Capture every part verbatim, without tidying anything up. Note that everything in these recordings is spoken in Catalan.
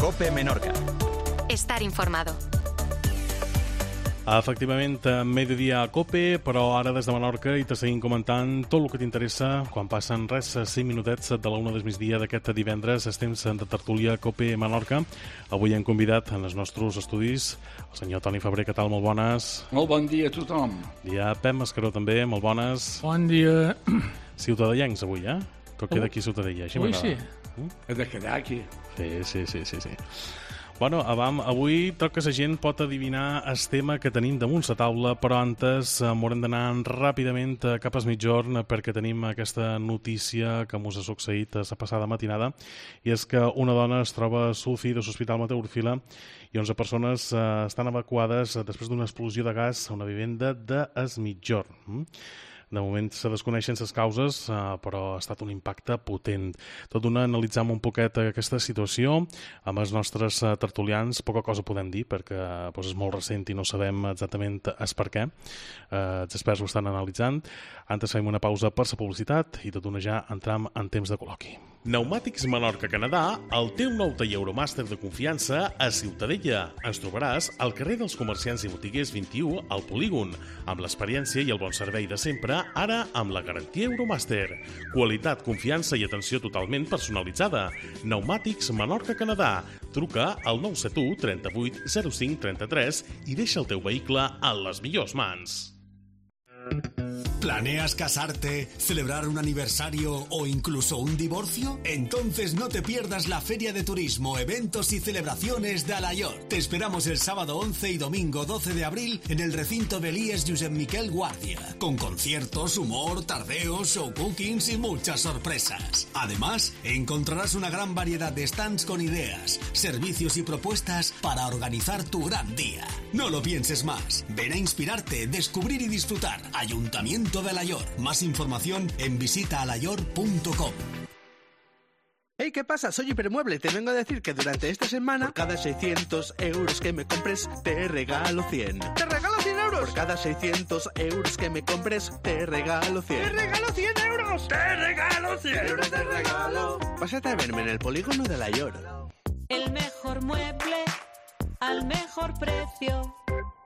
COPE Menorca. Estar informado. Efectivament, mediodía a COPE, però ara des de Menorca i te seguim comentant tot el que t'interessa quan passen res cinc minutets de la una del migdia d'aquest divendres. És temps de tertúlia COPE Menorca. Avui hem convidat en els nostres estudis el senyor Toni Febrer. Què tal? Molt bones. Molt bon dia a tothom. Dia Pep Mascaró també, molt bones. Bon dia. Ciutadellencs avui, eh? Tot queda aquí Ciutadella. Així Avui sí. He de quedar aquí. Sí, sí, sí, sí, sí. Bueno, avam, avui troc que la gent pot adivinar el tema que tenim damunt la taula, però antes eh, m'haurem d'anar ràpidament cap al mitjorn perquè tenim aquesta notícia que mos ha succeït la passada matinada, i és que una dona es troba a l'U C I de l'Hospital Mateu Orfila i onze persones eh, estan evacuades després d'una explosió de gas a una vivenda de es mitjorn. Mm? De moment se desconeixen les causes, eh, però ha estat un impacte potent. Tot d'una analitzam un poquet aquesta situació amb els nostres eh, tertulians. Poca cosa podem dir perquè doncs, és molt recent i no sabem exactament el per què. Eh, els experts ho estan analitzant. Antes fem una pausa per la publicitat i tot d'una ja entram en temps de col·loqui. Pneumàtics Menorca Canadà, el teu nou taller Euromàster de confiança a Ciutadella. Ens trobaràs al carrer dels Comerciants i Botiguers vint-i-u al Polígon, amb l'experiència i el bon servei de sempre, ara amb la garantia Euromàster. Qualitat, confiança i atenció totalment personalitzada. Pneumàtics Menorca Canadà. Truca al nou set u trenta-vuit zero cinc trenta-tres i deixa el teu vehicle en les millors mans. ¿Planeas casarte, celebrar un aniversario o incluso un divorcio? Entonces no te pierdas la Feria de Turismo, Eventos y Celebraciones de Alayor. Te esperamos el sábado once y domingo doce de abril en el recinto de l'I E S Josep Miquel Guàrdia, con conciertos, humor, tardeos, show cookings y muchas sorpresas. Además, encontrarás una gran variedad de stands con ideas, servicios y propuestas para organizar tu gran día. No lo pienses más. Ven a inspirarte, descubrir y disfrutar. Ayuntamiento de Alayor. Más información en visita alayor punto com. Hey, ¿qué pasa? Soy Hipermueble. Te vengo a decir que durante esta semana, por cada seiscientos euros que me compres, te regalo cien. ¿Te regalo cien euros? Por cada seiscientos euros que me compres, te regalo cien. ¡Te regalo cien euros! ¡Te regalo cien euros! ¡Te regalo! Pásate a verme en el polígono de Alayor. El mejor mueble al mejor precio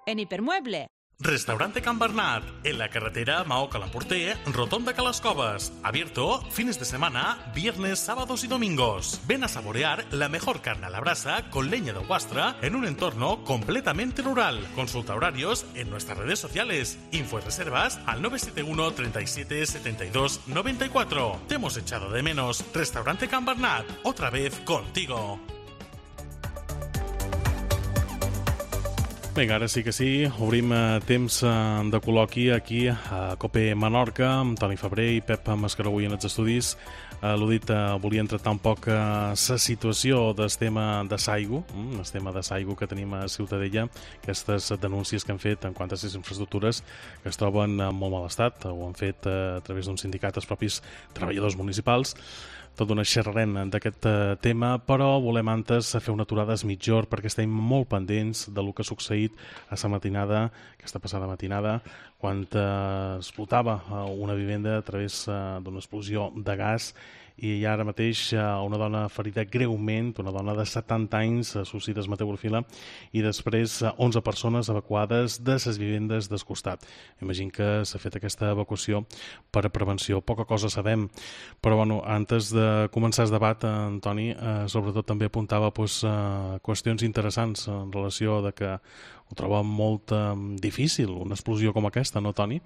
en Hipermueble. Restaurante Can Bernat, en la carretera Maó-Calamporter, Rotonda Calascobas. Abierto fines de semana, viernes, sábados y domingos. Ven a saborear la mejor carne a la brasa con leña de huastra en un entorno completamente rural. Consulta horarios en nuestras redes sociales. Info y reservas al nueve siete uno treinta y siete setenta y dos noventa y cuatro. Te hemos echado de menos. Restaurante Can Bernat, otra vez contigo. Vinga, ara sí que sí, obrim eh, temps eh, de col·loqui aquí a COPE Menorca, amb Toni Febrer i Pep Mascaró avui en els estudis. Eh, L'ho dit, eh, volia tractar un poc la eh, situació del tema de Saigo, mm, el tema de Saigo que tenim a Ciutadella, aquestes denúncies que han fet en quant a les infraestructures que es troben en molt mal estat, ho han fet eh, a través d'un sindicat els propis treballadors municipals. Tot d'una xerrarem d'aquest tema, però volem antes fer una aturada a mitjorn perquè estem molt pendents del que ha succeït a la matinada, aquesta passada matinada, quan eh, explotava una vivenda a través eh, d'una explosió de gas, i ara mateix una dona ferida greument, una dona de setanta anys, a l'U C I de Mateu Orfila, i després onze persones evacuades de les vivendes del costat. Imagino que s'ha fet aquesta evacuació per a prevenció. Poca cosa sabem, però bueno, antes de començar el debat, Antoni, eh, sobretot també apuntava pues, eh, qüestions interessants en relació de que ho troba molt eh, difícil, una explosió com aquesta, no, Toni?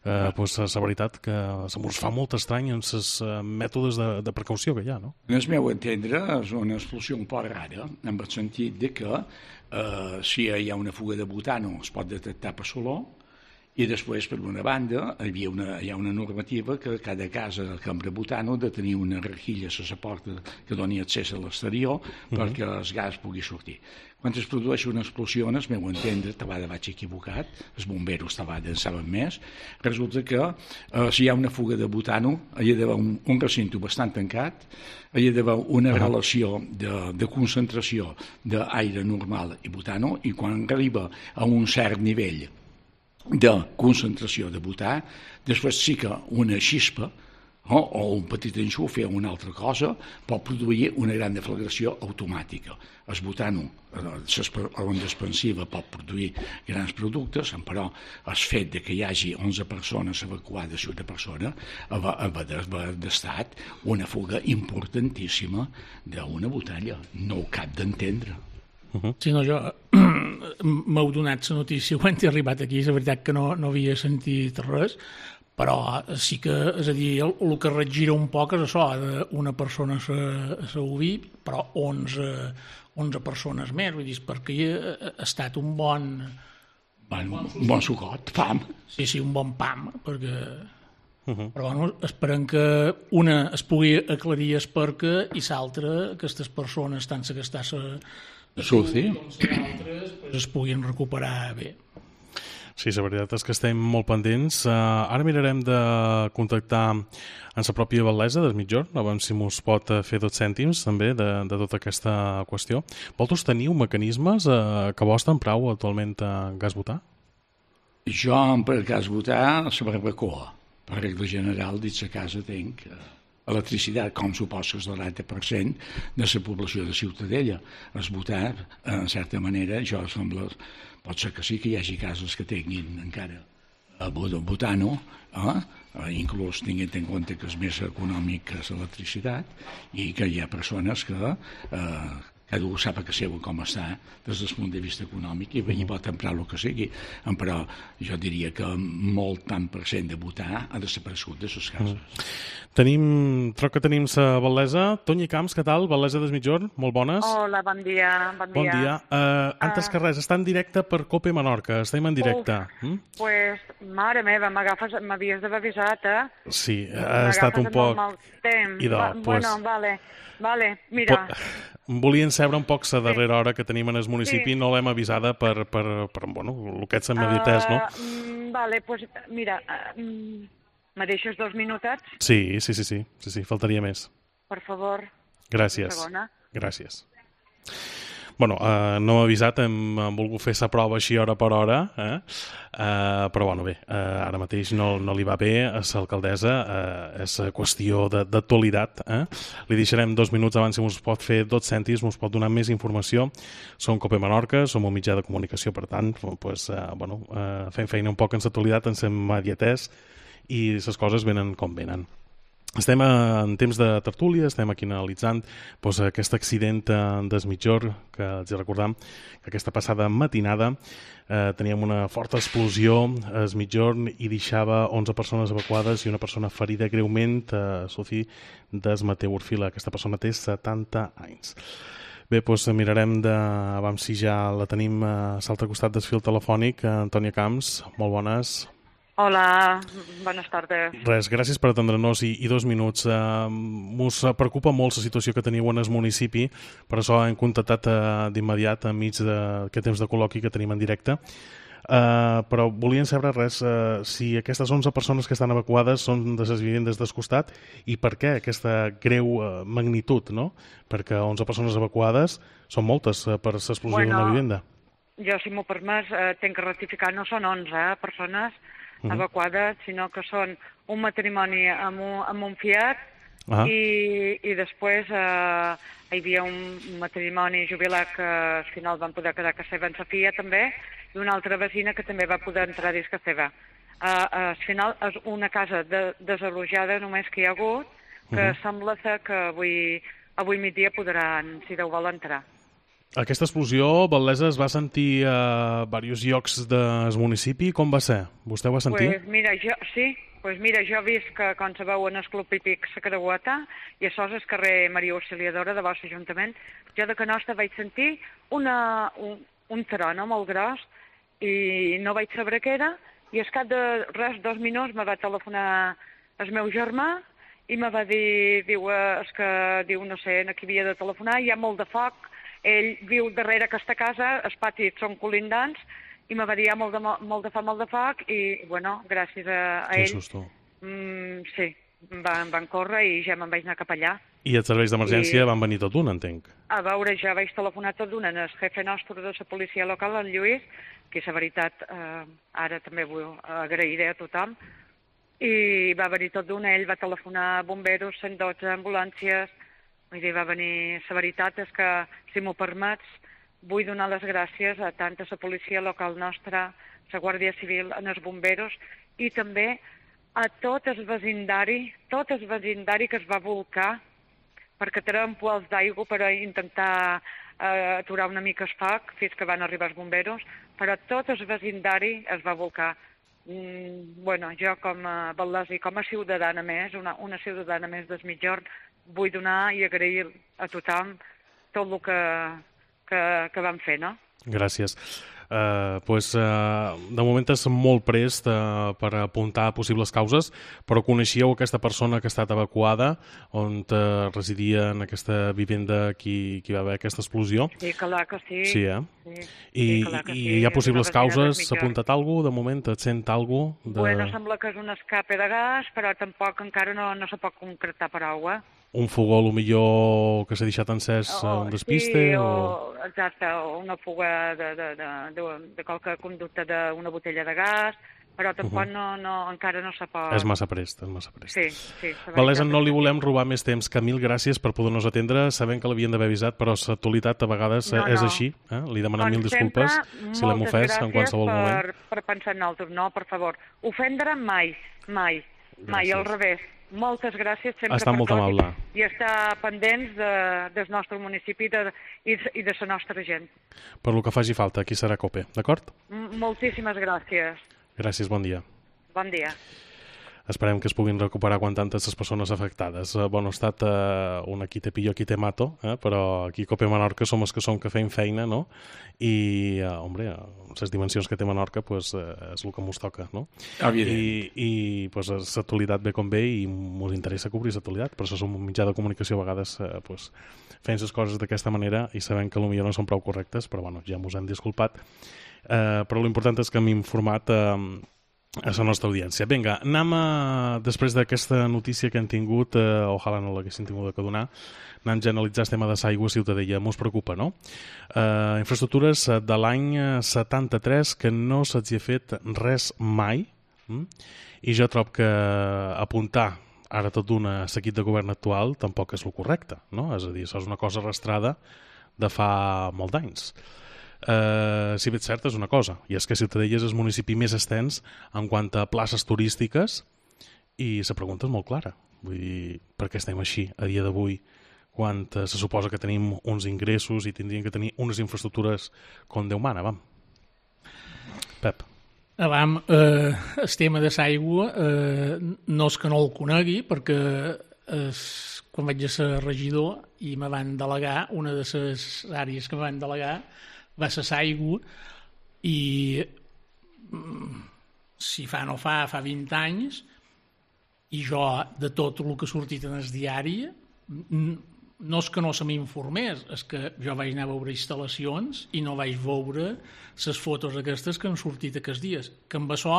Eh, pues, la veritat que se mos fa molt estrany en els eh, mètodes de, de precaució que hi ha, no? En el meu entendre és una explosió un poc rara, en el sentit de que eh, si hi ha una fuga de butano es pot detectar per solor, i després, per una banda, hi, havia una, hi ha una normativa que cada casa que empra butano ha de tenir una rejilla a la porta que doni accés a l'exterior uh-huh. perquè el gas pugui sortir. Quan es produeix una explosió, en el meu entendre, tabada vaig equivocat, els bomberos tabada en saben més, resulta que eh, si hi ha una fuga de butano, hi ha d'haver un, un recinte bastant tancat, hi ha d'haver una uh-huh. relació de, de concentració d'aire normal i butano, i quan arriba a un cert nivell de concentració de butà, després sí que una xispa, o, o un petit enxufe o una altra cosa, pot produir una gran deflagració automàtica. El butano, l'onda expansiva pot produir grans productes, però el fet de que hi hagi onze persones evacuades i una persona va haver estat una fuga importantíssima d'una botella. No ho cap d'entendre. Uh-huh. Sí, no, jo m'heu donat la notícia quan he arribat aquí, és veritat que no, no havia sentit res, però sí que, és a dir, el, el que regira un poc és això, una persona s'ha ubit, però onze, onze persones més, vull dir, perquè ha estat un bon... Un bon, bon sucot, pam. Sí, sí, un bon pam, perquè... Uh-huh. Però bueno, esperem que una es pugui aclarir el perquè i l'altra, aquestes persones, tant que està a Suci, altres, pues es puguin recuperar bé. Sí, la veritat és que estem molt pendents. Uh, ara mirarem de contactar en la pròpia Val·lesa del Migjorn, a veure si mos pot fer dos cèntims també de, de tota aquesta qüestió. Vosaltres teniu mecanismes uh, que vos prou actualment a gas butà? Jo, per gas butà, la barbacoa. Per regla general, dins a casa tenc electricitat, com suposo que és el noranta per cent de la població de Ciutadella. Es butà, en certa manera, jo sembla, pot ser que sí que hi hagi cases que tinguin encara butano, eh? Inclús tinguent en compte que és més econòmic que l'electricitat i que hi ha persones que eh, cada un sap que seu com està des del punt de vista econòmic i, i pot emprar el que sigui, però jo diria que molt tant per cent de butà ha desaparegut de les cases. Mm. Tenim, troc que tenim la Val·lesa. Toni Camps, què tal? Val·lesa des Migjorn, molt bones. Hola, bon dia. Bon dia. Bon dia. Uh, antes uh... que res, està en directe per Cope Menorca, estem en directe. Uf, mm? pues, mare meva, m'havies d'haver avisat, eh? Sí, ha estat un poc... Idò, Va, pues... Bueno, vale, vale, mira... Po... Volien saber un poc la darrera hora que tenim en el municipi, sí. No l'hem avisada per, per, per bueno, el que ets immediatès, no? Uh, vale, pues mira, uh, me deixes dos minutets? Sí, sí, sí, sí, sí, sí, faltaria més. Per favor. Gràcies. Gràcies. Bueno, eh, no m'ha avisat, hem, hem volgut fer la prova així hora per hora, eh? Eh, però bueno, bé, eh, ara mateix no, no li va bé a l'alcaldessa, eh, és qüestió d'actualitat. Eh? Li deixarem dos minuts abans si us pot fer dos cèntims, us pot donar més informació. Som Cope Menorca, som un mitjà de comunicació, per tant, pues, eh, bueno, eh, fem feina un poc en l'actualitat, en l'immediatès, i les coses venen com venen. Estem en temps de tertúlia, estem aquí analitzant doncs, aquest accident des Migjorn, que els recordam que aquesta passada matinada eh, teníem una forta explosió a Migjorn i deixava onze persones evacuades i una persona ferida greument a Suci des Mateu Orfila. Aquesta persona té setanta anys. Bé, doncs mirarem de... Vam si ja la tenim a l'altre costat del fil telefònic. Antònia Camps, molt bones. Hola, bones tardes. Res, gràcies per atendre-nos i, i dos minuts. Uh, Mos preocupa molt la situació que teniu en el municipi, per això hem contactat uh, d'immediat enmig d'aquest temps de col·loqui que tenim en directe. Uh, però volien saber res, uh, si aquestes onze persones que estan evacuades són de les vivendes del costat i per què aquesta greu uh, magnitud, no? Perquè onze persones evacuades són moltes uh, per l'explosió bueno, d'una vivenda. Jo, si m'ho permès, uh, tenc que rectificar, no són onze eh, persones Uh-huh. evacuades, sinó que són un matrimoni amb un, amb un Fiat uh-huh. i, i després eh, hi havia un matrimoni jubilat que al final van poder quedar a casa seva en sa filla també i una altra vecina que també va poder entrar dins casa seva. Eh, al final és una casa de, desalojada només que hi ha hagut que uh-huh. sembla ser que avui, avui migdia podran, si Déu vol, entrar. Aquesta explosió, Val·lesa, es va sentir a diversos llocs del municipi. Com va ser? Vostè ho va sentir? Pues mira, jo, sí, pues mira, jo he vist que quan se veu en el Club Hípic la Creueta i això és el carrer Maria Auxiliadora de vostre Ajuntament, jo de Canosta vaig sentir una, un, un tarono molt gros i no vaig saber què era i al cap de res, dos minuts, me va telefonar el meu germà i me va dir, diu, és que, diu, no sé, aquí havia de telefonar, hi ha molt de foc. Ell viu darrere aquesta casa, els patis són colindants, i me va dir molt de, molt de foc, molt de foc, i, bueno, gràcies a, a ell... Que susto. Mm, sí, van, van córrer i ja me'n vaig anar cap allà. I els serveis d'emergència I... van venir tot d'un, entenc? A veure, ja vaig telefonar tot d'un en el jefe nostre de la policia local, en Lluís, que la veritat, eh, ara també vull agrairé a tothom, i va venir tot d'una, ell va telefonar a bomberos, cent dotze ambulàncies, vull dir, va venir... La veritat és que, si m'ho permets, vull donar les gràcies a tant a la policia local nostra, la Guàrdia Civil, a els bomberos, i també a tot el vecindari, tot el vecindari que es va volcar, perquè tenen pols d'aigua per intentar eh, aturar una mica el foc fins que van arribar els bomberos, però tot el vecindari es va volcar. Mm, bueno, jo com a Val·les i com a ciutadana més, una, una ciutadana més del Migjorn, vull donar i agrair a tothom tot el que, que, que van fer, no? Gràcies. Uh, pues, uh, de moment és molt prest uh, per apuntar possibles causes, però coneixíeu aquesta persona que ha estat evacuada, on uh, residia en aquesta vivenda qui, qui va haver aquesta explosió? Sí, clar que sí. Sí, eh? Sí, I, sí, clar que i sí. hi ha possibles causes? S'ha apuntat alguna cosa? De moment et sent alguna cosa? De... Bueno, sembla que és un escape de gas, però tampoc encara no, no se pot concretar prou, eh? Un fogó, a lo millor, que s'ha deixat encès Oh, un despiste? sí, o... o... Exacte, o una fuga de, de, de, de, de qualque conducte d'una botella de gas, però tampoc uh -huh. no, no, encara no se pot... És massa prest, és massa prest. Sí, sí. Val·lesa, no li volem robar més temps, que mil gràcies per poder-nos atendre, sabent que l'havien d'haver avisat, però l'actualitat a vegades no, és no. així, eh? Li demanem Com mil disculpes sempre, si l'hem ofès en qualsevol per, moment. per pensar en nosaltres, no, per favor. Ofendre mai, mai, gràcies. mai, al revés. Moltes gràcies sempre Està per molt tot amable. i estar pendents de, del nostre municipi de, i, i de la nostra gent. Per lo que faci falta, aquí serà COPE, d'acord? M Moltíssimes gràcies. Gràcies, bon dia. Bon dia. Esperem que es puguin recuperar quan tantes les persones afectades. Eh, bon estat, eh, un aquí te pillo, aquí te mato, eh, però aquí a COPE Menorca som els que som que feim feina, no? I, eh, hombre, les dimensions que té Menorca pues, eh, és el que mos toca, no? Evident. I, i pues, l'actualitat ve com ve i mos interessa cobrir l'actualitat, per això som un mitjà de comunicació a vegades eh, pues, fent les coses d'aquesta manera i sabem que potser no són prou correctes, però bueno, ja mos hem disculpat. Eh, però l'important és que hem informat eh, a la nostra audiència. Vinga, anem a, després d'aquesta notícia que hem tingut, eh, ojalà no l'haguessin tingut que donar, anem a analitzar el tema de l'aigua a Ciutadella. Mos preocupa, no? Eh, infraestructures de l'any setanta-tres que no se'ls ha fet res mai, hm? I jo trobo que apuntar ara tot d'una seguit de govern actual tampoc és el correcte, no? És a dir, això és una cosa arrastrada de fa molt d'anys. Uh, si bé és cert és una cosa, i és que Ciutadella és el municipi més extens en quant a places turístiques i la pregunta és molt clara, vull dir, per què estem així a dia d'avui quan uh, se suposa que tenim uns ingressos i tindríem que tenir unes infraestructures com Déu mana, vam. Pep. Avam, eh, el tema de l'aigua eh, no és que no el conegui perquè es, quan vaig a ser regidor i me van delegar, una de les àrees que me van delegar va ser l'aigua i si fa no fa, fa vint anys i jo de tot el que ha sortit en el diari no és que no se m'informés, és que jo vaig anar a veure instal·lacions i no vaig veure les fotos aquestes que han sortit aquests dies, que amb això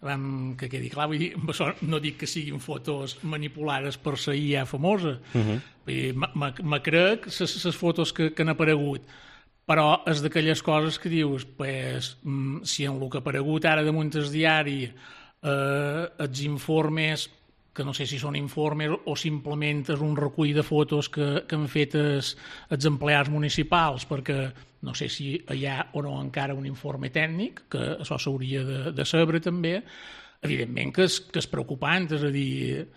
vam, que quedi clar, vull dir, amb això no dic que siguin fotos manipulades per la I A famosa, uh -huh. vull dir, me crec les fotos que, que han aparegut, però és d'aquelles coses que dius, pues, si en el que ha aparegut ara damunt el diari eh, els informes, que no sé si són informes o simplement és un recull de fotos que, que han fet els, els empleats municipals, perquè no sé si hi ha o no encara un informe tècnic, que això s'hauria de, de saber també, evidentment que és, que és preocupant, és a dir,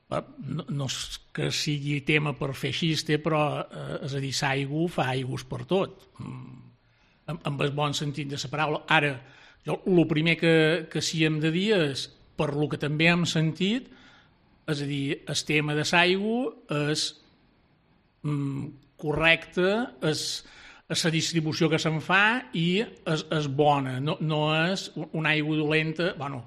no, no és que sigui tema per fer xiste, però eh, és a dir, l'aigua fa aigües per tot, amb, amb el bon sentit de la paraula. Ara, jo el primer que, que sí hem de dir és, per lo que també hem sentit, és a dir, el tema de l'aigua és mm, correcte, és, és la distribució que se'n fa i és, és bona, no, no és una aigua dolenta, bueno,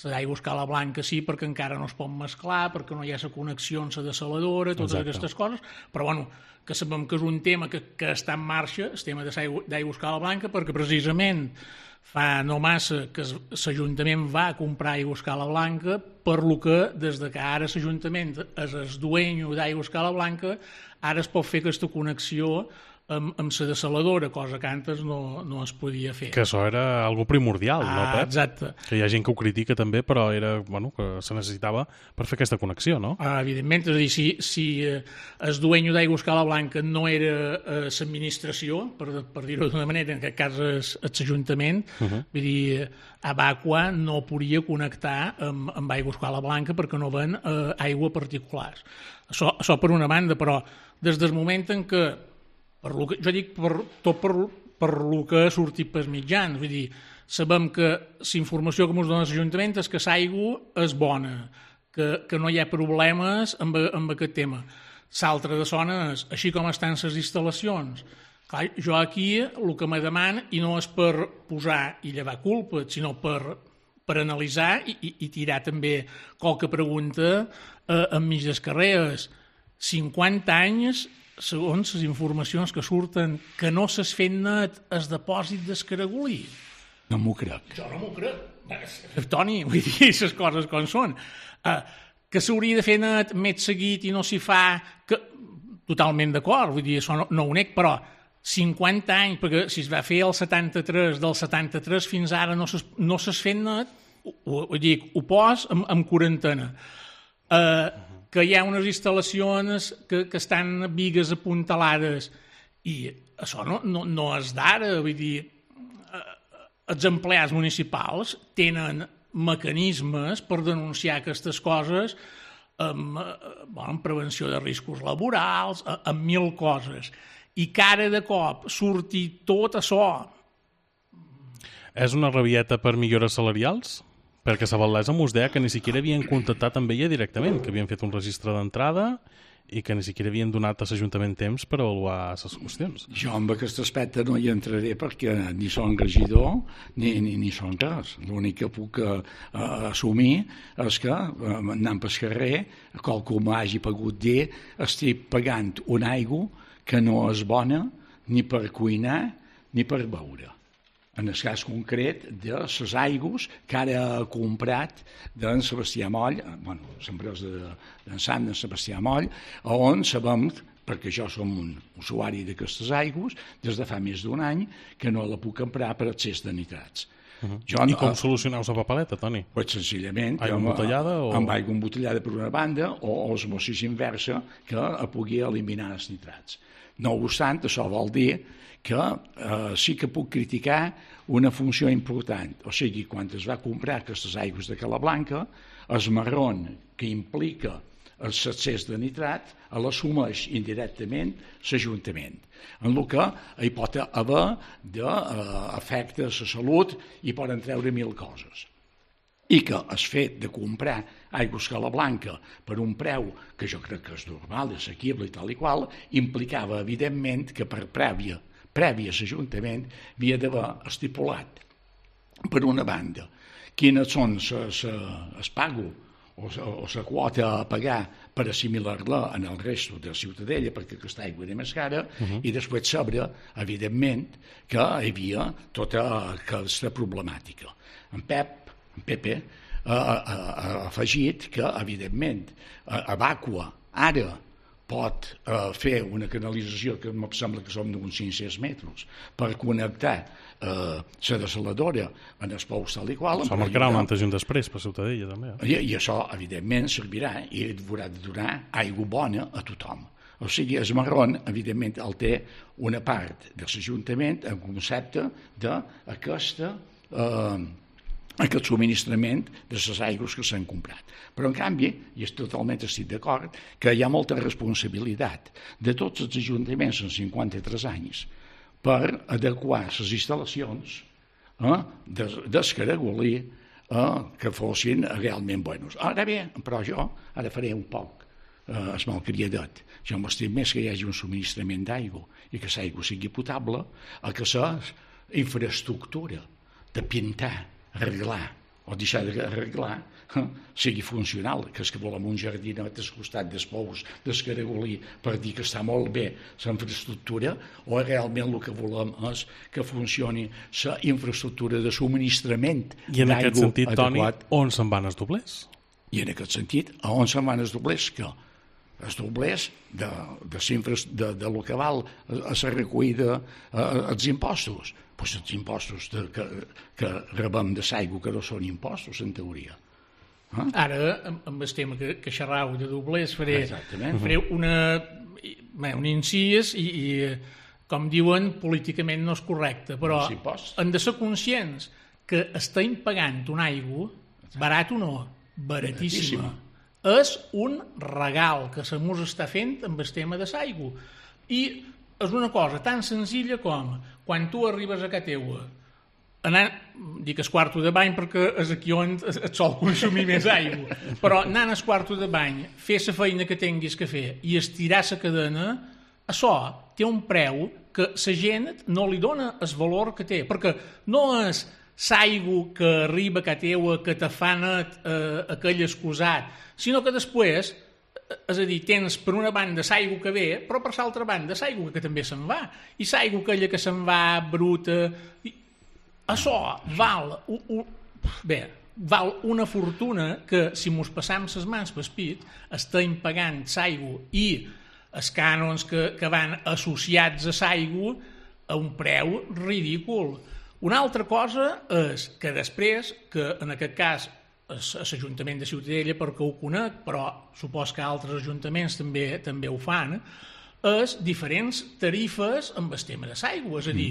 l'aigua a escala blanca sí, perquè encara no es pot mesclar, perquè no hi ha la connexió amb la dessaladora, totes Exacte. Aquestes coses, però bueno, que sabem que és un tema que, que està en marxa, el tema d'aigua a escala blanca, perquè precisament fa no massa que l'Ajuntament va comprar aigua a escala blanca, per lo que des de que ara l'Ajuntament és el dueño d'aigua a escala blanca, ara es pot fer aquesta connexió amb, amb la desaladora, cosa que antes no, no es podia fer. Que això era algo primordial, ah, no, Pep? Exacte. Que hi ha gent que ho critica també, però era, bueno, que se necessitava per fer aquesta connexió, no? Ah, evidentment, és a dir, si, si eh, el dueño d'Aigües Cala Blanca no era eh, l'administració, per, per dir-ho d'una manera, en aquest cas és l'Ajuntament, uh -huh. vull dir, Abaqua no podia connectar amb, amb Aigües Cala Blanca perquè no ven eh, aigua particulars. Això, això per una banda, però des del moment en què, per lo que jo dic per, tot per, per lo que ha sortit pels mitjans, vull dir, sabem que la informació que ens dona l'Ajuntament és que l'aigua és bona, que, que no hi ha problemes amb, amb aquest tema. L'altre de zona és, així com estan les instal·lacions. Clar, jo aquí el que me deman, i no és per posar i llevar culpa, sinó per, per analitzar i, i, i tirar també qualque pregunta eh, enmig del carrer, és cinquanta anys, segons les informacions que surten, que no s'has fet net el depòsit d'Escaragolí. No m'ho crec. Jo no m'ho crec. Toni, vull dir, les coses com són. Uh, que s'hauria de fer net més seguit i no s'hi fa, que, totalment d'acord, vull dir, això no, no ho nec, però cinquanta anys, perquè si es va fer el setanta-tres, del setanta-tres fins ara no s'has no fet net, ho, ho dic, ho pos amb, amb quarantena. Uh, que hi ha unes instal·lacions que, que estan bigues apuntalades i això no, no, no és d'ara, vull dir, els empleats municipals tenen mecanismes per denunciar aquestes coses amb, bueno, amb prevenció de riscos laborals, amb mil coses. I que ara de cop surti tot això. És una rabieta per millores salarials? Perquè la Valdesa mos deia que ni siquiera havien contactat amb ella directament, que havien fet un registre d'entrada i que ni siquiera havien donat a l'Ajuntament temps per avaluar les qüestions. Jo amb aquest aspecte no hi entraré perquè ni són regidor ni, ni, ni són res. L'únic que puc uh, assumir és que, uh, anant pel carrer, qualcú m'hagi pogut dir, estic pagant una aigua que no és bona ni per cuinar ni per beure. En el cas concret de les aigües que ara ha comprat d'en Sebastià Moll, bueno, l'empresa d'en Sant, d'en Sebastià Moll, on sabem, perquè jo som un usuari d'aquestes aigües, des de fa més d'un any, que no la puc emprar per excés de nitrats. Uh-huh. Jo, I com uh, solucioneu la papeleta, Toni? Pues senzillament aigua embotellada o... amb aigua embotellada per una banda o osmosis inversa que pugui eliminar els nitrats. No obstant, això vol dir que eh, sí que puc criticar una funció important. O sigui, quan es va comprar aquestes aigües de Cala Blanca, el marron que implica l'excés de nitrat l'assumeix indirectament l'Ajuntament, en el que hi pot haver d'efectes a la salut i poden treure mil coses. I que el fet de comprar aigües Cala Blanca per un preu que jo crec que és normal, assequible i tal i qual, implicava, evidentment, que per prèvia, prèvia a l'Ajuntament havia d'haver estipulat, per una banda, quines són el pago o la quota a pagar per assimilar-la en el resto de la ciutadella, perquè aquesta aigua era més cara, uh-huh. i després saber, evidentment, que hi havia tota aquesta problemàtica. En Pep, en Pepe, ha, ha, ha afegit que, evidentment, Abaqua ara pot eh, fer una canalització que em sembla que són d'uns cinc-cents metres per connectar eh, la desaladora en els pous tal i qual. Això marcarà un antes i un després per Ciutadella, també. I, I això, evidentment, servirà i haurà de donar aigua bona a tothom. O sigui, el marron, evidentment, el té una part de l'Ajuntament en concepte d'aquesta eh, aquest subministrament de les aigües que s'han comprat. Però, en canvi, i totalment estic d'acord, que hi ha molta responsabilitat de tots els ajuntaments en cinquanta-tres anys per adequar les instal·lacions eh, d'Escaragolí eh, que fossin realment bones. Ara bé, però jo ara faré un poc eh, es malcriadet. Jo m'estim més que hi hagi un subministrament d'aigua i que l'aigua sigui potable a que la infraestructura de pintar, arreglar o deixar d'arreglar eh, sigui funcional, que és que volem un jardinet al costat dels pous d'Escaragolí per dir que està molt bé la infraestructura, o realment el que volem és que funcioni la infraestructura de subministrament d'aigua. I en aquest sentit, adequat. Toni, on se'n van els doblers? I en aquest sentit, a on se'n van els doblers? Que els doblers de, de, de, de lo que val a la recollida els impostos. Pues els impostos de, que, que rebem de l'aigua, que no són impostos, en teoria. Eh? Ara, amb el tema que, que xerrau de doblers, faré, faré una, un incís i, i, com diuen, políticament no és correcte, però hem de ser conscients que estem pagant una aigua, barat o no, baratíssima. És un regal que se mos està fent amb el tema de l'aigua. I és una cosa tan senzilla com quan tu arribes a casa teua, anant, dic el quarto de bany perquè és aquí on et sol consumir més aigua, però anant al quarto de bany, fer la feina que tinguis que fer i estirar la cadena, això té un preu que la gent no li dona el valor que té, perquè no és l'aigua que arriba a casa teua, que te fa net eh, aquell excusat, sinó que després, és a dir, tens per una banda l'aigua que ve, però per l'altra banda l'aigua que també se'n va, i l'aigua aquella que se'n va bruta, i això val, u, u, bé, val una fortuna que si mos passam les mans pel pit estem pagant l'aigua i els cànons que, que van associats a l'aigua a un preu ridícul. Una altra cosa és que després, que en aquest cas és l'Ajuntament de Ciutadella perquè ho conec, però supos que altres ajuntaments també també ho fan, és diferents tarifes amb el tema de l'aigua, és a dir,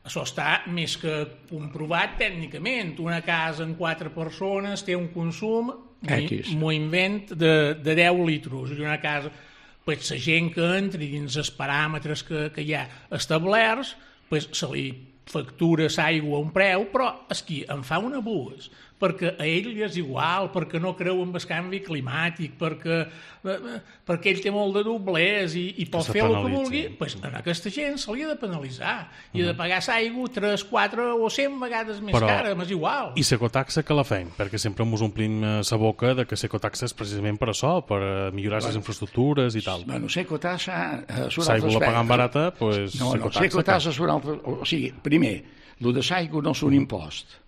això està més que comprovat tècnicament. Una casa amb quatre persones té un consum, m'ho invent, de, de deu litres, i una casa, pues, la gent que entri dins els paràmetres que, que hi ha establerts, pues, se li factura l'aigua a un preu, però és qui en fa un abús, perquè a ell li és igual, perquè no creu en el canvi climàtic, perquè, perquè ell té molt de doblers i, i pot fer el que vulgui, pues, a aquesta gent se li ha de penalitzar i ha de pagar l'aigua tres, quatre o cent vegades més però, cara, m'és igual. I l'ecotaxa que la fem? Perquè sempre ens omplim la boca de que l'ecotaxa és precisament per això, per millorar les bueno, infraestructures i tal. Bueno, l'ecotaxa eh, és un altre aspecte. L'aigua la pagant barata, doncs... No, no, l'ecotaxa és un altre... O sigui, primer, el de l'aigua no és un impost,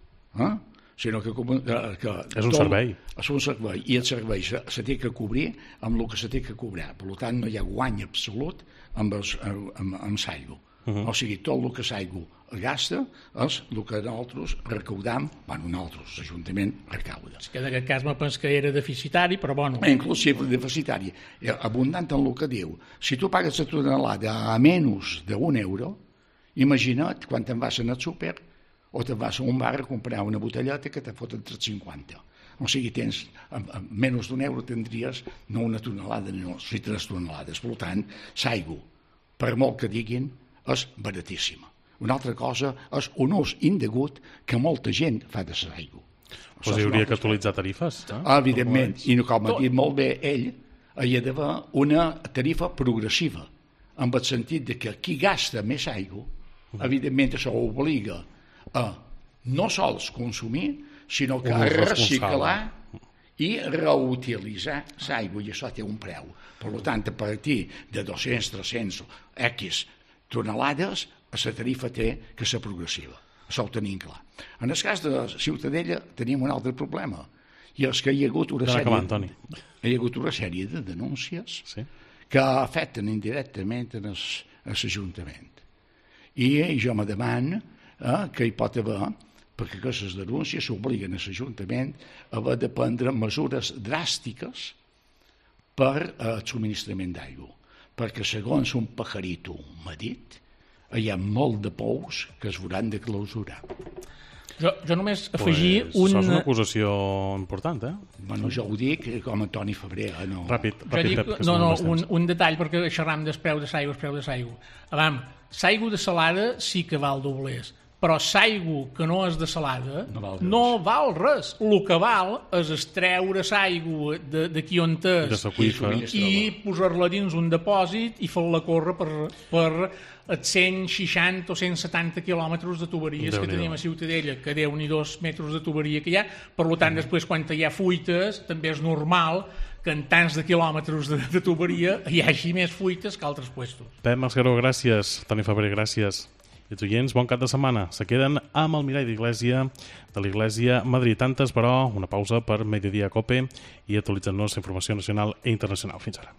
eh? sinó que, que, que és un tot, servei. És un servei, i el servei se, se té que cobrir amb el que se té que cobrar. Per tant, no hi ha guany absolut amb, els, amb, amb l'aigua. Uh -huh. O sigui, tot el que l'aigua gasta és el que nosaltres recaudam, bueno, nosaltres, l'Ajuntament recauda. És que en aquest cas me penso que era deficitari, però bueno... Inclusive deficitari, abundant en el que diu. Si tu pagues la tonelada a menys d'un euro, imagina't quan te'n vas al súper o te'n vas a un bar a comprar una botelleta que te foten tres cinquanta. O sigui, tens, a menys d'un euro tindries no una tonelada, no, si tres tonelades. Per tant, l'aigua, per molt que diguin, és baratíssima. Una altra cosa és un ús indegut que molta gent fa de l'aigua. Doncs hi hauria que actualitzar tarifes. Eh? Evidentment, i com ha dit molt bé ell, hi ha d'haver una tarifa progressiva, en el sentit de que qui gasta més aigua, evidentment això obliga a no sols consumir, sinó que a reciclar i reutilitzar l'aigua, i això té un preu. Per tant, a partir de dos-cents, tres-cents X tonelades, la tarifa té que ser progressiva. Això ho tenim clar. En el cas de Ciutadella tenim un altre problema, i és que hi ha hagut una sèrie, hi ha hagut una sèrie de denúncies sí. que afecten indirectament l'Ajuntament. I jo me demano eh, que hi pot haver, perquè aquestes denúncies s'obliguen a l'Ajuntament a haver de prendre mesures dràstiques per el subministrament d'aigua. Perquè, segons un pajarito m'ha dit, hi ha molt de pous que es hauran de clausurar. Jo, jo només afegir pues, un... Això és una acusació important, eh? Bueno, jo ho dic com a Toni Febrer. No... Ràpid, ràpid. Dic, Pep, no, no, un, un detall, perquè xerram del preu de l'aigua, el preu de l'aigua. Avam, l'aigua de salada sí que val doblers, però l'aigua que no és de salada no val res. No val res. El que val és extreure l'aigua d'aquí on és i, i posar-la dins un depòsit i fer-la córrer per, per els cent seixanta o cent setanta quilòmetres de tuberies que tenim a Ciutadella, que déu-n'hi-do metres de tuberia que hi ha. Per tant, després, quan hi ha fuites, també és normal que en tants de quilòmetres de, de tuberia hi hagi més fuites que altres puestos. Pep Mascaró, gràcies. Toni Febrer, gràcies. I els oients, bon cap de setmana. Se queden amb el mirall d'Iglésia de l'Iglésia Madrid. Tantes, però, una pausa per Mediodía Cope i actualitzant-nos informació nacional i internacional. Fins ara.